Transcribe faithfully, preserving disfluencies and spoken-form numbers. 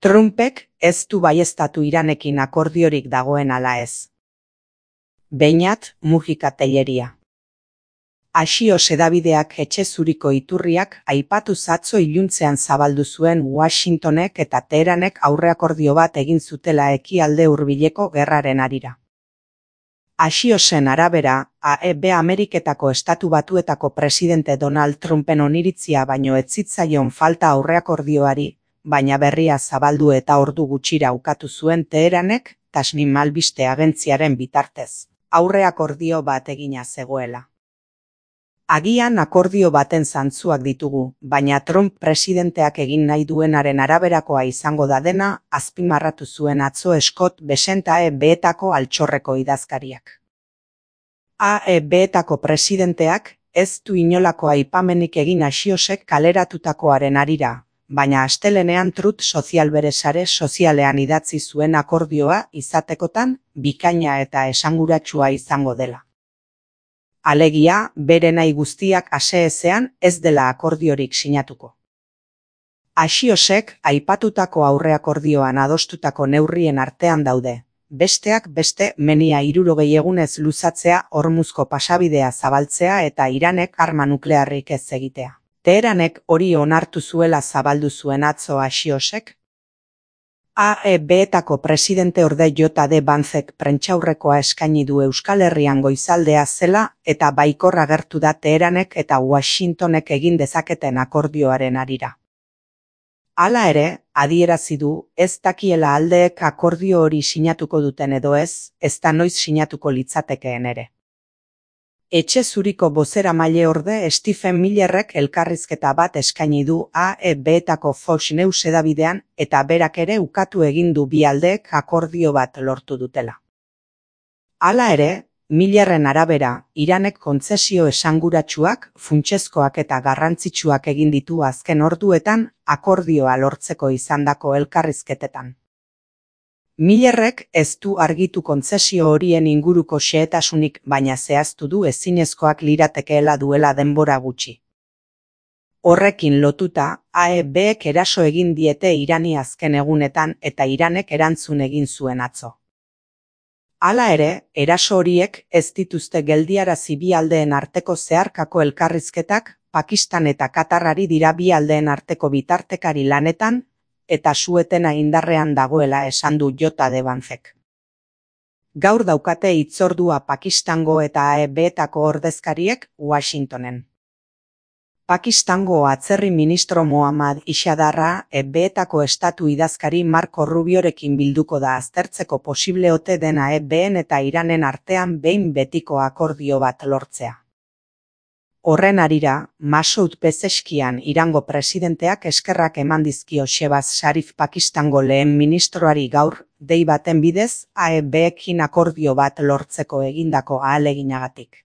Trumpek ez du baieztatu Iranekin akordiorik dagoen ala ez. Beñat, Mujika Telleria. Axios hedabideak etxe zuriko iturriak aipatu atzo iluntzean zabaldu zuen Washingtonek eta Teheranek aurreakordio bat egin zutela ekialde hurbileko gerraren harira. Axiosen arabera, A E B Ameriketako Estatu Batuetako presidente Donald Trumpen oniritzia baino ez zitzaion falta aurreakordioari, baina berria zabaldu eta ordu gutxira ukatu zuen Teheranek, Tasnim albiste agentziaren bitartez, aurreakordio bat egina zegoela. Agian akordio baten zantzuak ditugu, baina Trump presidenteak egin nahi duenaren araberakoa izango da dena, azpimarratu zuen atzo Scott Bessent A E B-etako altxorreko idazkariak. A E B-etako presidenteak ez du inolako aipamenik egin Axiosek kaleratutakoaren harira, baina astelehenean Truth Social bere sare sozialean idatzi zuen akordioa izatekotan bikaina eta esanguratsua izango dela. Alegia, bere nahi guztiak ase ezean ez dela akordiorik sinatuko. Axiosek aipatutako aurreakordioan adostutako neurrien artean daude, besteak beste menia hirurogei egunez luzatzea Hormuzko pasabidea zabaltzea eta Iranek arma nuklearrik ez egitea. Teheranek hori onartu zuela zabaldu zuen atzo Axiosek. A E B-etako presidente orde J D Vancek prentsaurrekoa eskaini du Euskal Herrian goizaldea zela eta baikor agertu da Teheranek eta Washingtonek egin dezaketen akordioaren harira. Hala ere, adierazi du ez dakiela aldeek akordio hori sinatuko duten edo ez, ezta noiz sinatuko litzatekeen ere. Etxe zuriko bozeramaile orde Stephen Millerrek elkarrizketa bat eskaini du A E B-etako Fox News hedabidean eta berak ere ukatu egin du bi aldeek akordio bat lortu dutela. Hala ere, Millerren arabera, Iranek kontzesio esanguratsuak, funtsezkoak eta garrantzitsuak egin ditu azken orduetan akordioa lortzeko izandako elkarrizketetan. Millerrek ez du argitu kontzesio horien inguruko xehetasunik, baina zehaztu du ezinezkoak liratekeela duela denbora gutxi. Horrekin lotuta, A E B-ek eraso egin diete Irani azken egunetan eta Iranek erantzun egin zuen atzo. Hala ere, eraso horiek ez dituzte geldiarazi bi aldeen arteko zeharkako elkarrizketak, Pakistan eta Katarrari dira bi aldeen arteko bitartekari lanetan, eta su-etena indarrean dagoela esan du J D Vancek. Gaur daukate hitzordua Pakistango eta A E B-etako ordezkariek Washingtonen. Pakistango atzerri ministro Mohammad Ishadarra A E B-etako estatu idazkari Marco Rubiorekin bilduko da aztertzeko posible ote den A E B-en eta Iranen artean behin betiko akordio bat lortzea. Horren harira, Masoud Pezeshkian Irango presidenteak eskerrak eman dizkio Shehbaz Sharif Pakistango lehen ministroari gaur, dei baten bidez A E B-ekin akordio bat lortzeko egindako ahaleginagatik.